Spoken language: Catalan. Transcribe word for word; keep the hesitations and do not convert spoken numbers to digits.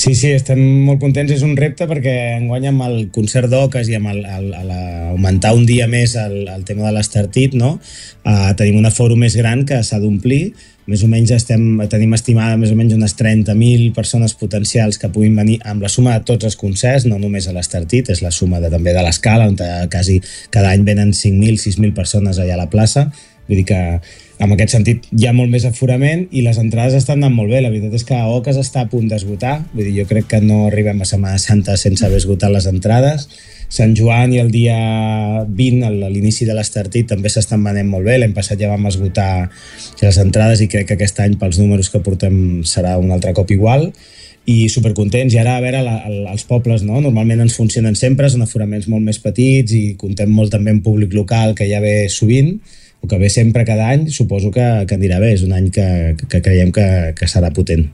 Sí, sí, estem molt contents. És un repte perquè enguany amb el concert d'Oques i amb el, el, el, augmentar un dia més el, el tema de l'Estartit, no? Uh, tenim un aforo més gran que s'ha d'omplir. Més o menys estem, tenim estimada més o menys unes trenta mil persones potencials que puguin venir amb la suma de tots els concerts, no només a l'Estartit, és la suma de, també de l'Escala, on quasi cada any venen cinc mil, sis mil persones allà a la plaça. Vull dir que en aquest sentit hi ha molt més aforament i les entrades estan anant molt bé. La veritat és que Oques està a punt d'esgotar. Vull dir, jo crec que no arribem a Setmana Santa sense haver esgotat les entrades. Sant Joan i el dia vint, a l'inici de l'Estartit, també s'estan venent molt bé. L'any passat ja vam esgotar les entrades i crec que aquest any, pels números que portem, serà un altre cop igual. I supercontents. I ara, a veure, la, els pobles, no? Normalment ens funcionen sempre, són aforaments molt més petits i contem molt també amb públic local que ja ve sovint, o que ve sempre cada any. Suposo que, que anirà bé. És un any que, que creiem que, que serà potent.